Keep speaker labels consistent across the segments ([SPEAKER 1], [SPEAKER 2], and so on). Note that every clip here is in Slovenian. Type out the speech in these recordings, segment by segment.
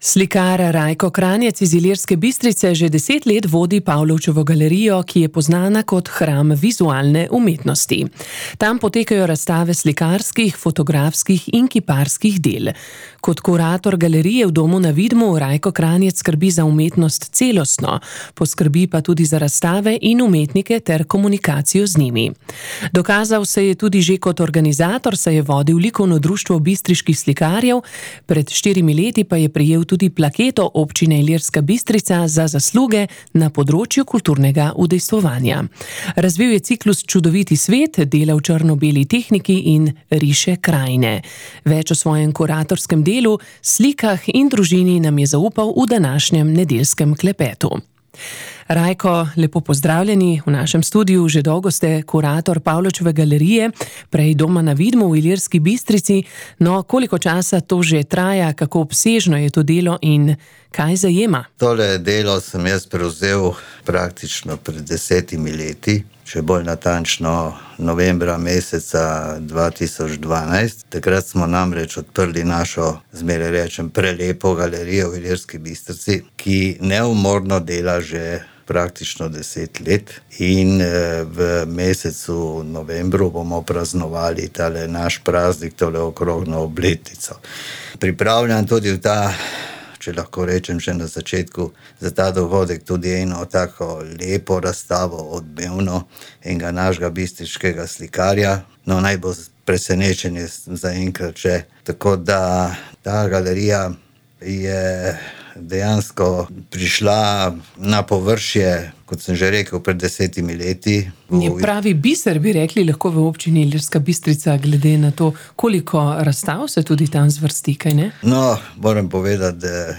[SPEAKER 1] Slikar Rajko Kranjec iz Ilirske Bistrice že 10 let vodi Pavlovčevo galerijo, ki je poznana kot hram vizualne umetnosti. Tam potekajo razstave slikarskih, fotografskih in kiparskih del. Kot kurator galerije v Domu na Vidmu Rajko Kranjec skrbi za umetnost celostno, poskrbi pa tudi za razstave in umetnike ter komunikacijo z njimi. Dokazal se je tudi že kot organizator, saj je vodil likovno društvo bistriških slikarjev, pred 4 leti pa je prejel tudi plaketo občine Ilirska Bistrica za zasluge na področju kulturnega udejstvovanja. Razvil je ciklus Čudoviti svet, dela v črno-beli tehniki in riše krajine. Več o svojem kuratorskem delu, slikah in družini nam je zaupal v današnjem nedeljskem klepetu. Rajko, lepo pozdravljeni v našem studiu. Že dolgo ste kurator Pavlovčeve galerije, prej Doma na Vidmu v Ilirski Bistrici. No, koliko časa to že traja, kako obsežno je to delo in kaj zajema?
[SPEAKER 2] Tole delo sem jaz prevzel praktično pred 10 leti, še bolj natančno novembra meseca 2012. Takrat smo namreč odprli našo, zmeraj rečem, prelepo galerijo v Ilirski Bistrici, ki neumorno dela že praktično 10 let in v mesecu novembru bomo praznovali tale naš praznik, tole okroglo obletnico. Pripravljam tudi v ta, če lahko rečem že na začetku, za ta dogodek tudi eno tako lepo razstavo, odmevno, enega našega bistriškega slikarja. No, naj bo presenečenje zaenkrat že. Tako da ta galerija je dejansko prišla na površje, kot sem že rekel, pred 10 leti.
[SPEAKER 1] Je pravi biser, bi rekli, lahko v občini Ilirska Bistrica, glede na to, koliko razstav se tudi tam zvrsti, kaj ne?
[SPEAKER 2] No, moram povedati, da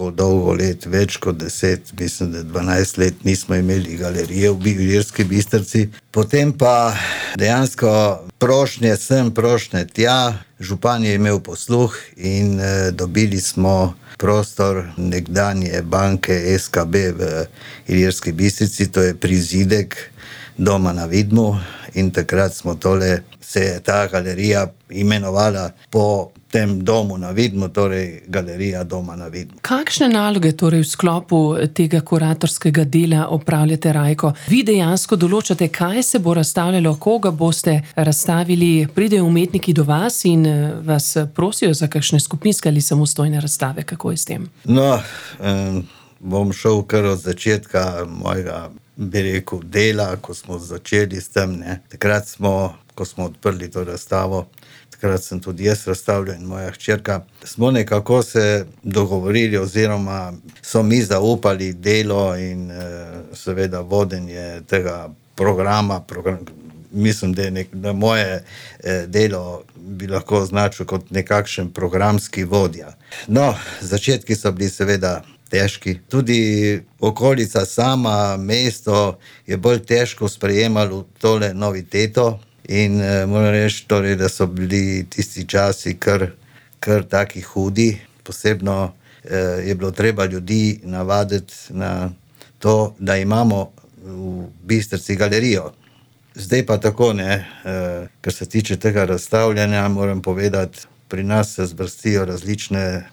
[SPEAKER 2] dolgo let, več kot 10, mislim, da 12 let nismo imeli galerije v Ilirski Bistrici. Potem pa dejansko prošnje sem, prošnje tja, župan je imel posluh in dobili smo prostor nekdanje banke SKB v Ilirski Bistrici, to je prizidek Doma na Vidmu, in takrat se je ta galerija imenovala po tem Domu na Vidmu, torej Galerija Doma na Vidmu.
[SPEAKER 1] Kakšne naloge torej v sklopu tega kuratorskega dela opravljate, Rajko? Vi dejansko določate, kaj se bo razstavljalo, koga boste razstavili, pridejo umetniki do vas in vas prosijo za kakšne skupinske ali samostojne razstave, kako je s tem?
[SPEAKER 2] No, bom šel kar od začetka mojega, bi rekel, dela, ko smo začeli s tem, ne. Takrat ko smo odprli to razstavo, takrat sem tudi jaz razstavljal in moja hčerka, smo nekako se dogovorili oziroma so mi zaupali delo in seveda vodenje tega programa. Mislim, da moje delo bi lahko označil kot nekakšen programski vodja. No, začetki so bili seveda težki. Tudi okolica sama, mesto je bolj težko sprejemalo tole noviteto in moram reči, torej, da so bili tisti časi kar taki hudi. Posebno je bilo treba ljudi navaditi na to, da imamo v Bistrici galerijo. Zdaj pa tako, ne, kar se tiče tega razstavljanja, moram povedati, pri nas se zvrstijo različne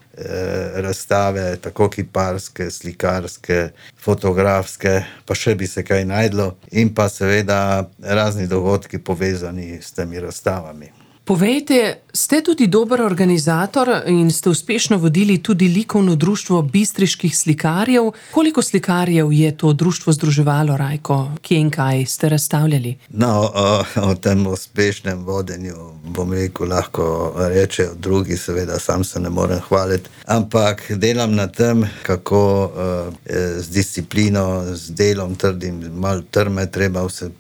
[SPEAKER 2] razstave, tako kiparske, slikarske, fotografske, pa še bi se kaj najdlo, in pa seveda razni dogodki povezani s temi razstavami.
[SPEAKER 1] Povejte, ste tudi dober organizator in ste uspešno vodili tudi likovno društvo bistriških slikarjev. Koliko slikarjev je to društvo združevalo, Rajko? Kje in kaj ste razstavljali?
[SPEAKER 2] No, o tem uspešnem vodenju, bom rekel, lahko rečejo drugi, seveda sam se ne morem hvaliti, ampak delam na tem, kako z disciplino, z delom trdim, malo trme treba vse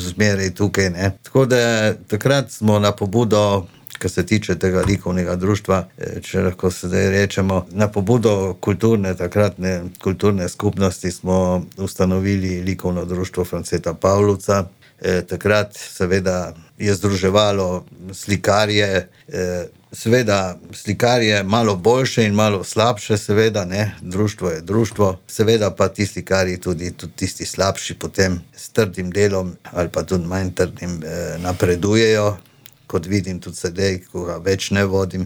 [SPEAKER 2] zmeraj tukaj, ne. Tako da takrat smo na pobudo, kar se tiče tega likovnega društva, če lahko sedaj rečemo, na pobudo takratne kulturne skupnosti smo ustanovili likovno društvo Franceta Pavlovca. Takrat seveda je združevalo slikarje, seveda slikarje malo boljše in malo slabše, seveda, ne, društvo je društvo, seveda pa ti slikarji tudi tisti slabši potem s trdim delom ali pa tudi manj trdim napredujejo. Kot vidim tudi sedaj, ko ga več ne vodim,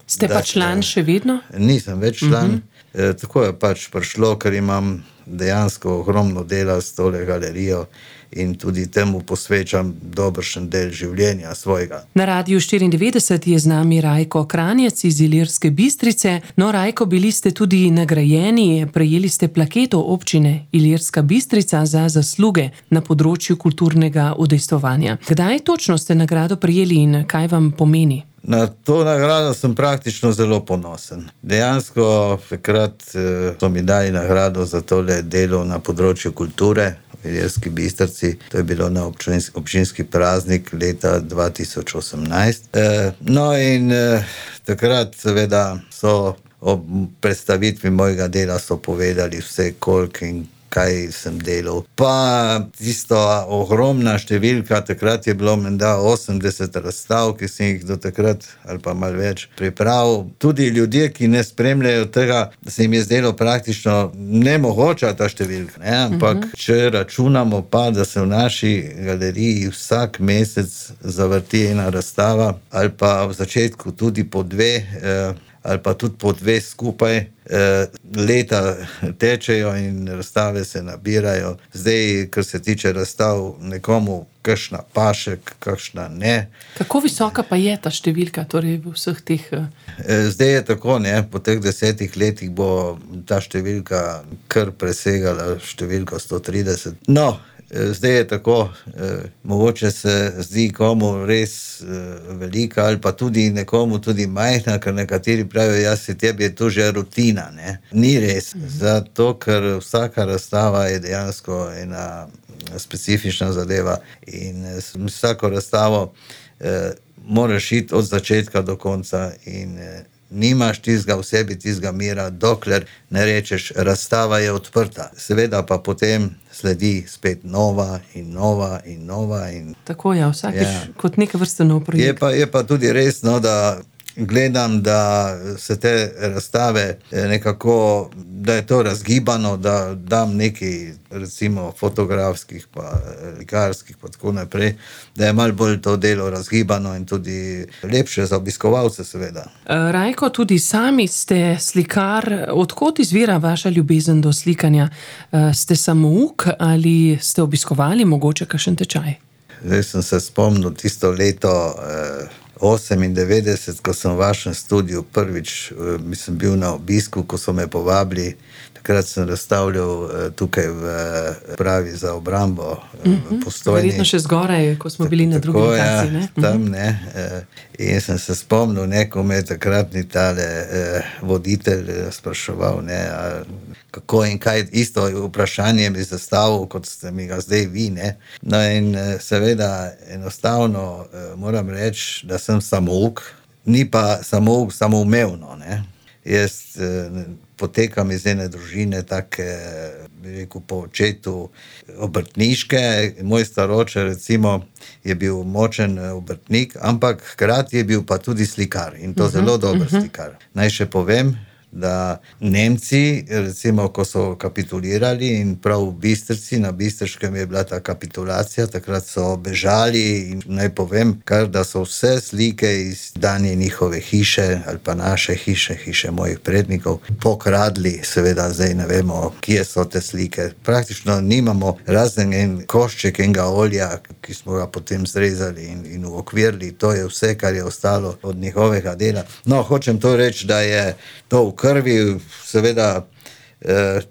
[SPEAKER 1] Ste pa član še vedno?
[SPEAKER 2] Nisem več član. Tako je pač prišlo, ker imam dejansko ogromno dela s tole galerijo in tudi temu posvečam dobršen del življenja svojega.
[SPEAKER 1] Na Radiu 94 je z nami Rajko Kranjec iz Ilirske Bistrice. No, Rajko, bili ste tudi nagrajeni, prejeli ste plaketo občine Ilirska Bistrica za zasluge na področju kulturnega udejstvovanja. Kdaj točno ste nagrado prejeli in kaj vam pomeni?
[SPEAKER 2] Na to nagrado sem praktično zelo ponosen. Dejansko takrat so mi dali nagrado za tole delo na področju kulture v Ilirski Bistrici. To je bilo na občinski praznik leta 2018. No in takrat seveda so ob predstavitvi mojega dela so povedali vse, koliko in kaj sem delal. Pa tisto ogromna številka, takrat je bilo menda 80 razstav, ki sem jih do takrat, ali pa malo več, pripravil. Tudi ljudje, ki ne spremljajo tega, da se jim je zdelo praktično nemogoča ta številka. Ne? Ampak če računamo pa, da se v naši galeriji vsak mesec zavrti ena razstava, ali pa v začetku tudi po dve, ali pa tudi po dve skupaj, leta tečejo in razstave se nabirajo. Zdaj, kar se tiče razstav, nekomu kakšna paše, kakšna ne.
[SPEAKER 1] Kako visoka pa je ta številka, torej v vseh teh...
[SPEAKER 2] Zdaj je tako, ne, po teh 10 letih bo ta številka kar presegala številko 130. No, zdaj je tako, mogoče se zdi komu res velika ali pa tudi nekomu tudi majhna, ker nekateri pravijo, jaz se tebi je to že rutina, ne. Ni res, zato ker vsaka razstava je dejansko ena specifična zadeva in vsako razstavo moraš iti od začetka do konca in nimaš tistega v sebi, tistega mira, dokler ne rečeš, razstava je odprta. Seveda pa potem sledi spet nova in nova in nova.
[SPEAKER 1] Tako je, vsakič kot neka vrsta nov projekt.
[SPEAKER 2] Je pa tudi res, no, da gledam, da se te razstave nekako, da je to razgibano, da dam nekaj recimo fotografskih pa likarskih pa tako naprej, da je malo bolj to delo razgibano in tudi lepše za obiskovalce seveda.
[SPEAKER 1] Rajko, tudi sami ste slikar. Odkot izvira vaša ljubezen do slikanja? Ste samouk ali ste obiskovali mogoče kakšen tečaj?
[SPEAKER 2] Zdaj sem se spomnil tisto leto 98, ko sem v vašem studiu prvič, mislim, bil na obisku, ko so me povabili, takrat sem razstavljal tukaj v pravi za obrambo v Postojni.
[SPEAKER 1] Verjetno še zgoraj, ko smo bili na drugi lokaciji, ne?
[SPEAKER 2] Tam, ne. In sem se spomnil, neko me takratni tale voditelj spraševal, ne, kako in kaj, isto vprašanje mi zastavil, kot ste mi ga zdaj vi, ne. No in seveda enostavno moram reči, da sem samouk, ni pa samouk samoumevno, ne. Jaz potekam iz ene družine take, bi rekel, po očetu obrtniške. Moj staroče recimo je bil močen obrtnik, ampak hkrati je bil pa tudi slikar in to zelo dober slikar. Naj še povem, da Nemci, recimo, ko so kapitulirali in prav v Bistrici, na Bistriškem je bila ta kapitulacija, takrat so bežali in naj povem kar, da so vse slike iz danje njihove hiše ali pa naše hiše, hiše mojih prednikov, pokradli, seveda zdaj ne vemo, kje so te slike. Praktično nimamo razen en košček enega olja, ki smo ga potem zrezali in uokvirili, to je vse, kar je ostalo od njihovega dela. No, hočem to reči, da je to v krvi, seveda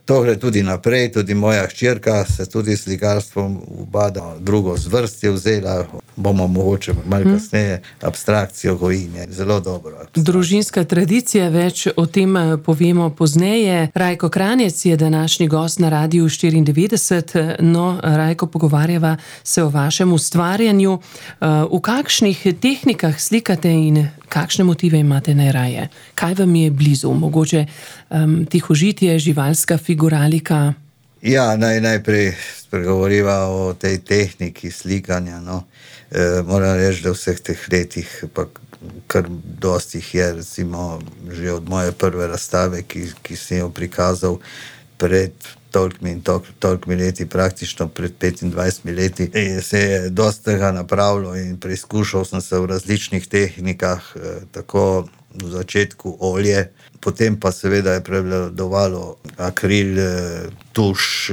[SPEAKER 2] to gre tudi naprej, tudi moja hčerka se tudi slikarstvom ubada, drugo zvrst je vzela, bomo mogoče malo kasneje abstrakcijo gojine, zelo dobro.
[SPEAKER 1] Družinska tradicija, več o tem povemo pozneje. Rajko Kranjec je današnji gost na Radiu 94. No, Rajko, pogovarjava se o vašem ustvarjanju. V kakšnih tehnikah slikate in kakšne motive imate najraje? Kaj vam je blizu? Mogoče tihožitje, živalska figuralika?
[SPEAKER 2] Ja, najprej spregovoriva o tej tehniki slikanja, no. Moram reči, da v vseh teh letih pa kar dosti jih je, recimo že od moje prve razstave, ki sem jo prikazal pred tolikimi leti, praktično pred 25 leti. Se je dosti tega napravilo in preizkušal sem se v različnih tehnikah, tako v začetku olje, potem pa seveda je prevladovalo akril, tuš,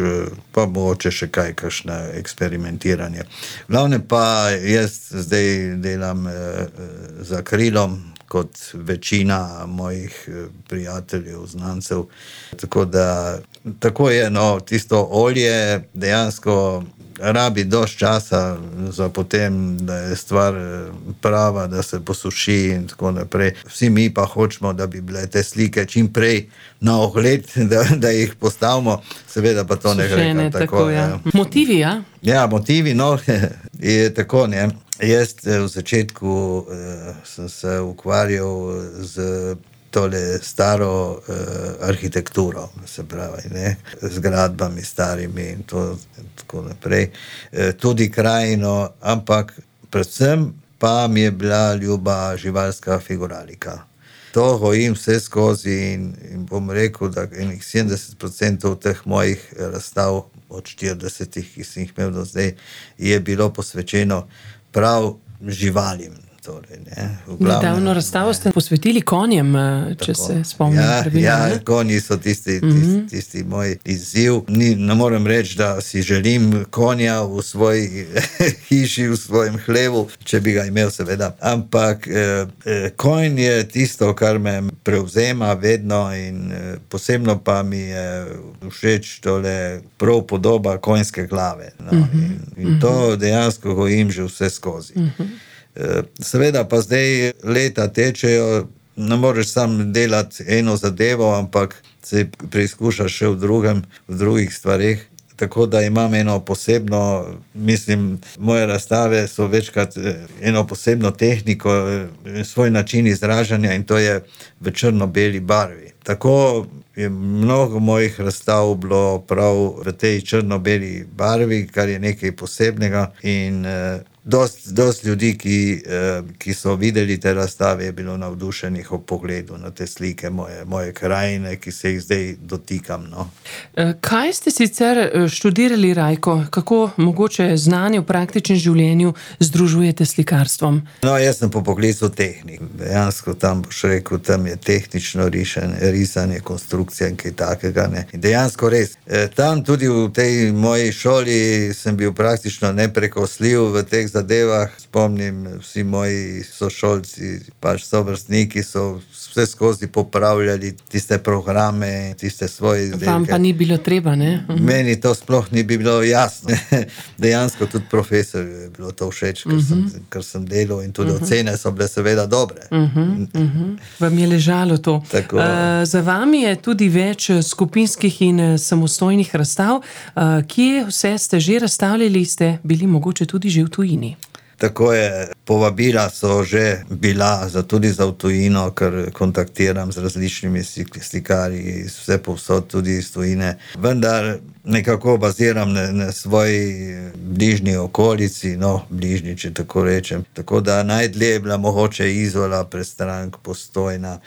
[SPEAKER 2] pa mogoče še kakšno eksperimentiranje. Glavne pa jaz zdaj delam z akrilom, kot večina mojih prijateljev, znancev. Tako da, tako je, tisto olje dejansko rabi dosti časa za potem, da je stvar prava, da se posuši in tako naprej. Vsi mi pa hočemo, da bi bile te slike čim prej na ogled, da jih postavimo, seveda pa to ne gre kar tako.
[SPEAKER 1] Ja. Motivi, ja?
[SPEAKER 2] Ja, motivi, je tako, ne. Jaz v začetku sem se ukvarjal z tole staro arhitekturo, se pravi, ne, zgradbami starimi in to tako naprej. Tudi krajino, ampak predvsem pa mi je bila ljuba živalska figuralika. To gojim vse skozi in bom rekel, da enih 70% teh mojih razstav od 40, ki sem jih imel do zdaj, je bilo posvečeno prav živalim. Torej,
[SPEAKER 1] nedavno razstavo ste posvetili konjem, če se spomnim.
[SPEAKER 2] Ja, konji so tisti moj izziv. Ne morem reči, da si želim konja v svoji hiši, v svojem hlevu, če bi ga imel, seveda. Ampak konj je tisto, kar me prevzema vedno in posebno pa mi je všeč tole prav podoba konjske glave. In to dejansko gojim že vse skozi. Seveda pa zdaj leta tečejo, ne moreš sam delati eno zadevo, ampak se preizkušaš še v drugih stvareh. Tako da imam eno posebno, mislim, moje razstave so večkrat eno posebno tehniko, svoj način izražanja in to je v črno-beli barvi. Tako je mnogo mojih razstav bilo prav v tej črno-beli barvi, kar je nekaj posebnega in dosti ljudi, ki so videli te razstave, je bilo navdušenih ob pogledu na te slike moje krajine, ki se jih zdaj dotikam.
[SPEAKER 1] Kaj ste sicer študirali, Rajko? Kako mogoče znanje v praktičnem življenju združujete s slikarstvom?
[SPEAKER 2] Jaz sem po poklicu tehnik. Dejansko tam boš rekel, tam je tehnično risanje, konstrukcija in kaj takega. Ne. In dejansko res. Tam tudi v tej moji šoli sem bil praktično neprekosljiv v teh zadevah. Spomnim, vsi moji sošolci, pač sovrstniki so vse skozi popravljali tiste programe, tiste svoje izdelke.
[SPEAKER 1] Vam pa ni bilo treba, ne?
[SPEAKER 2] Meni to sploh ni bilo jasno. Dejansko tudi profesorju je bilo to všeč, ker sem delal in tudi ocene so bile seveda dobre.
[SPEAKER 1] Vam je ležalo to.
[SPEAKER 2] Tako.
[SPEAKER 1] Za vami je tudi več skupinskih in samostojnih razstav. Kje vse ste že razstavljali, ste bili mogoče tudi že v tujini?
[SPEAKER 2] Tako je, povabila so že bila tudi za v tujino, ker kontaktiram z različnimi slikarji, vse povsod tudi iz tujine. Vendar nekako baziram na svoji bližnji okolici, bližnji, če tako rečem. Tako da najdlje je bila mogoče Izola, Prestrank, Postojna.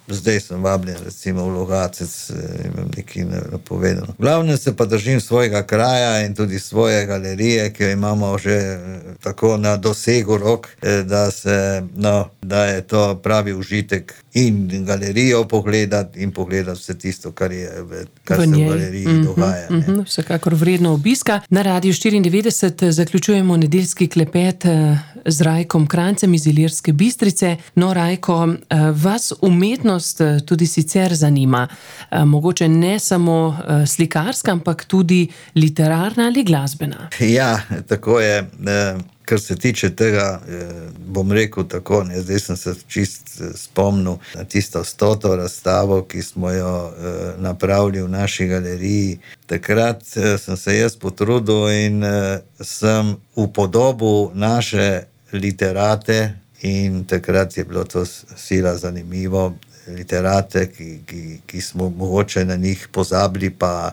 [SPEAKER 2] Zdaj sem vabljen recimo v Logatec, imam nekaj napovedano. Glavno se pa držim svojega kraja in tudi svoje galerije, ki jo imamo že tako na dosegu rok, da je to pravi užitek in galerijo pogledati in pogledati vse tisto, kar se v galeriji dogaja.
[SPEAKER 1] Vsekakor vredno obiska. Na Radiu 94 zaključujemo nedeljski klepet z Rajkom Krancem iz Ilirske Bistrice. Rajko, vas umetnost tudi sicer zanima. Mogoče ne samo slikarska, ampak tudi literarna ali glasbena.
[SPEAKER 2] Ja, tako je. Kar se tiče tega, bom rekel tako, zdaj sem se čist spomnil na tisto 100. razstavo, ki smo jo napravili v naši galeriji. Takrat sem se jaz potrudil in sem upodobil naše literate in takrat je bilo to sila zanimivo. Literate, ki smo mogoče na njih pozabili, pa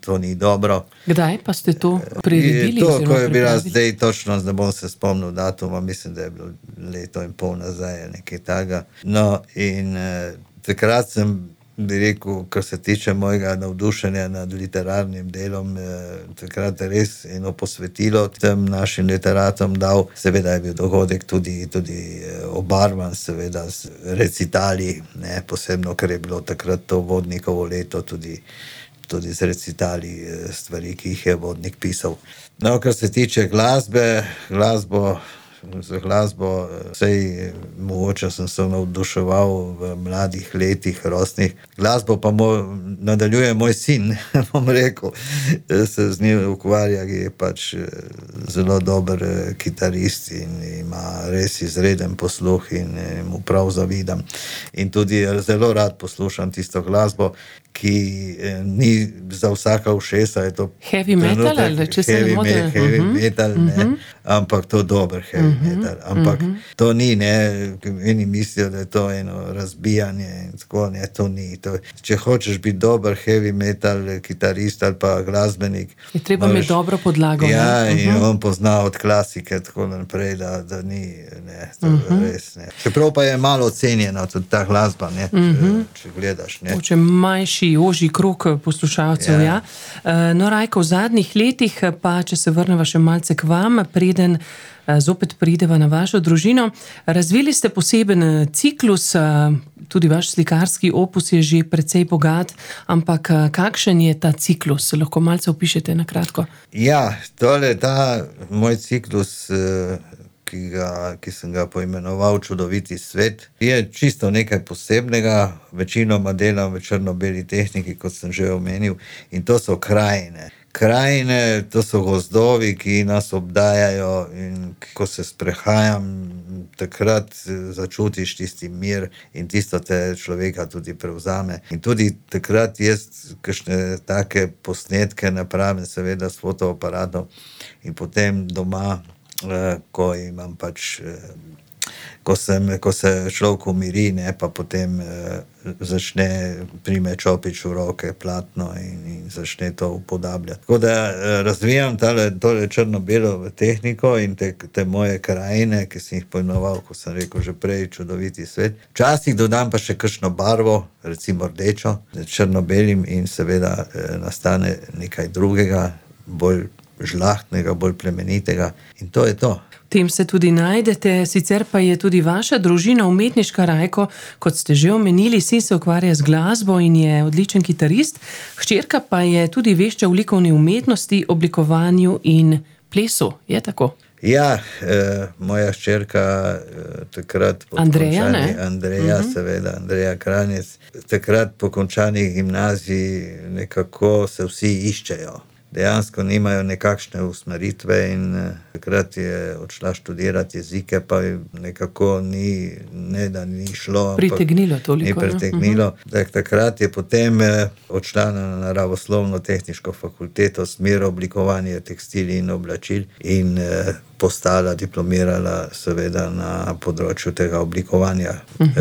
[SPEAKER 2] to ni dobro.
[SPEAKER 1] Kdaj pa ste to priredili?
[SPEAKER 2] Ko je bila zdaj točno, ne bom se spomnil datuma, mislim, da je bilo 1,5 leta nazaj, nekaj takega. In takrat sem bi rekel, kar se tiče mojega navdušenja nad literarnim delom, takrat res eno posvetilo tem našim literatom dal. Seveda je bil dogodek tudi obarvan, seveda z recitali, ne, posebno, ker je bilo takrat to Vodnikovo leto, tudi z recitali stvari, ki jih je Vodnik pisal. No, kar se tiče za glasbo, sej mogoče sem se navduševal v mladih letih, rosnih. Glasbo pa nadaljuje moj sin, bom rekel, se z njim ukvarja, je pač zelo dober kitarist in ima res izreden posluh in mu prav zavidam. In tudi zelo rad poslušam tisto glasbo, ki ni za vsaka ušesa, je to
[SPEAKER 1] heavy metal, ali če se ne motim?
[SPEAKER 2] Heavy metal, ne, ampak to dober heavy metal. Ampak to ni, ne, eni mislijo, da je to eno razbijanje in tako, ne, to ni. Če hočeš biti dober heavy metal kitarist ali pa glasbenik,
[SPEAKER 1] je treba imeti dobro podlago.
[SPEAKER 2] Ja, in on pozna od klasike tako naprej, da ni, ne, to res, ne. Čeprav pa je malo ocenjena tudi ta glasba, ne, če gledaš, ne.
[SPEAKER 1] Če manjši, ožji krog poslušalcev, ja. No, Rajko, v zadnjih letih, pa če se vrneva še malce k vam, preden zopet prideva na vašo družino, razvili ste poseben ciklus, tudi vaš slikarski opus je že precej bogat, ampak kakšen je ta ciklus? Lahko malce opišete na kratko?
[SPEAKER 2] Ja, ta moj ciklus, ki sem ga poimenoval Čudoviti svet, je čisto nekaj posebnega, večinoma delam v črno-beli tehniki, kot sem že omenil, in to so krajine. Krajine, to so gozdovi, ki nas obdajajo, in ko se sprehajam, takrat začutiš tisti mir in tisto te človeka tudi prevzame. In tudi takrat jaz kakšne take posnetke napravim, seveda s fotoaparatom, in potem doma, ko imam pač, ko se človek umiri, ne, pa potem prime čopič v roke, platno in začne to upodabljati. Tako da razvijam tole črno-belo tehniko in te moje krajine, ki sem jih poimenoval, ko sem rekel že prej, Čudoviti svet. Včasih dodam pa še kakšno barvo, recimo rdečo, črno-belim, in seveda nastane nekaj drugega, bolj žlahtnega, bolj plemenitega, in to je to.
[SPEAKER 1] V tem se tudi najdete, sicer pa je tudi vaša družina umetniška, Rajko, kot ste že omenili, sin se ukvarja z glasbo in je odličen kitarist, hčerka pa je tudi vešča v likovni umetnosti, oblikovanju in plesu, je tako?
[SPEAKER 2] Ja, moja hčerka takrat
[SPEAKER 1] Andreja, ne?
[SPEAKER 2] Andreja, seveda, Andreja Kranjec, takrat po končani gimnaziji nekako se vsi iščejo. Dejansko nimajo nekakšne usmeritve in takrat je odšla študirati jezike, pa nekako da ni šlo.
[SPEAKER 1] Pritegnilo toliko.
[SPEAKER 2] Ni pritegnilo. Takrat je potem odšla na naravoslovno-tehniško fakulteto, smer oblikovanje tekstilij in oblačil, in postala, diplomirala seveda na področju tega oblikovanja.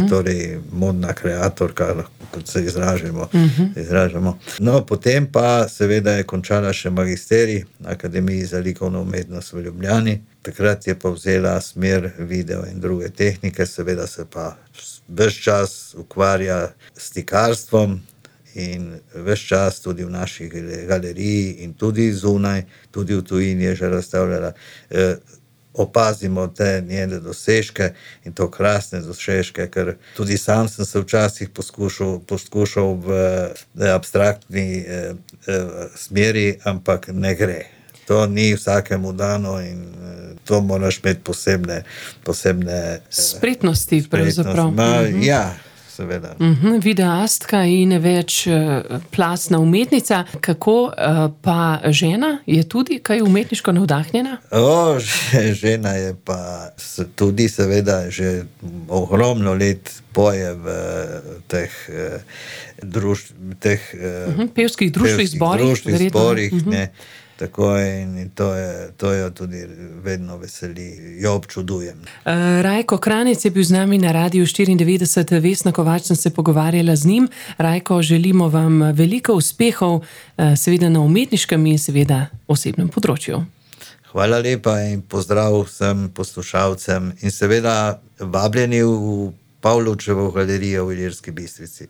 [SPEAKER 2] Torej modna kreatorka, kot se izražamo. No, potem pa seveda je končala še magisterij na Akademiji za likovno umetnost v Ljubljani. Takrat je pa vzela smer video in druge tehnike, seveda se pa ves čas ukvarja s slikarstvom in ves čas tudi v naši galeriji in tudi zunaj, tudi v tujini je že razstavljala. Opazimo te njene dosežke in to krasne dosežke, ker tudi sam sem se včasih poskušal v abstraktni smeri, ampak ne gre. To ni vsakemu dano in to moraš imeti posebne
[SPEAKER 1] spretnosti pravzaprav.
[SPEAKER 2] Ja, seveda.
[SPEAKER 1] Videastka in več plastna umetnica. Kako pa žena? Je tudi kaj umetniško navdahnjena?
[SPEAKER 2] Žena je pa tudi seveda že ogromno let poje v teh
[SPEAKER 1] pevskih društvih
[SPEAKER 2] zborih, ne. Tako in to jo tudi vedno veseli, jo občudujem.
[SPEAKER 1] Rajko Kranjec je bil z nami na Radiu 94, Vesna Kovač sem se pogovarjala z njim. Rajko, želimo vam veliko uspehov, seveda na umetniškem in seveda osebnem področju.
[SPEAKER 2] Hvala lepa in pozdrav vsem poslušalcem in seveda vabljeni v Pavlovčevo galerijo v Ilirski Bistrici.